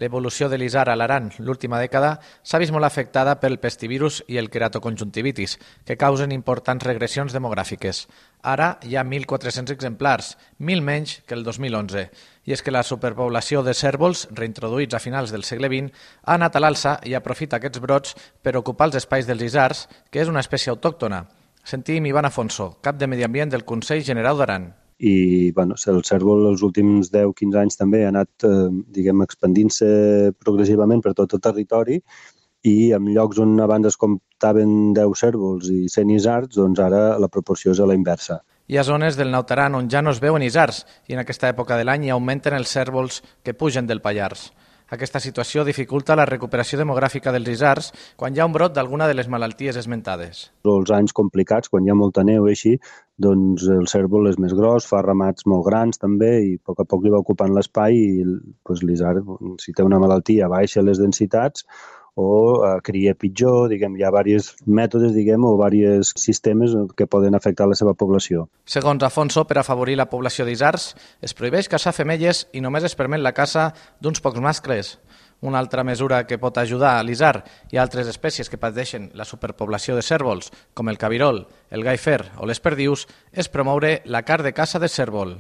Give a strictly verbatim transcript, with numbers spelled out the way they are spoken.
L'evolució de l'isard a l'Aran l'última dècada s'ha vist molt afectada pel pestivirus i el queratoconjuntivitis, que causen importants regressions demogràfiques. Ara hi ha mil quatre-cents exemplars, mil menys que el dos mil onze. I és que la superpoblació de cérvols, reintroduïts a finals del segle vint, ha anat a l'alça i aprofita aquests brots per ocupar els espais dels isards, que és una espècie autòctona. Sentim Ivan Afonso, cap de Medi Ambient del Consell Generau d'Aran. I bueno, el cérvol els últims deu quinze anys també ha anat eh, diguem, expandint-se progressivament per tot el territori i en llocs on abans es comptaven deu cérvols i cent isards, doncs ara la proporció és a la inversa. Hi ha zones del Naut Aran on ja no es veuen isards i en aquesta època de l'any hi augmenten els cérvols que pugen del Pallars. Aquesta situació dificulta la recuperació demogràfica dels isards quan hi ha un brot d'alguna de les malalties esmentades. Els anys complicats, quan hi ha molta neu i així, doncs el cérvol és més gros, fa ramats molt grans també i a poc a poc li va ocupant l'espai i doncs, l'isard, si té una malaltia, baixa les densitats o eh, cria pitjor, diguem, hi ha diversos mètodes, diguem, o diversos sistemes que poden afectar la seva població. Segons Afonso, per afavorir la població d'isards, es prohibeix caçar femelles i només es permet la caça d'uns pocs mascles. Una altra mesura que pot ajudar a l'isard i a altres espècies que pateixen la superpoblació de cérvols, com el cabirol, el gai fer o les perdius, és promoure la carn de caça de cérvol.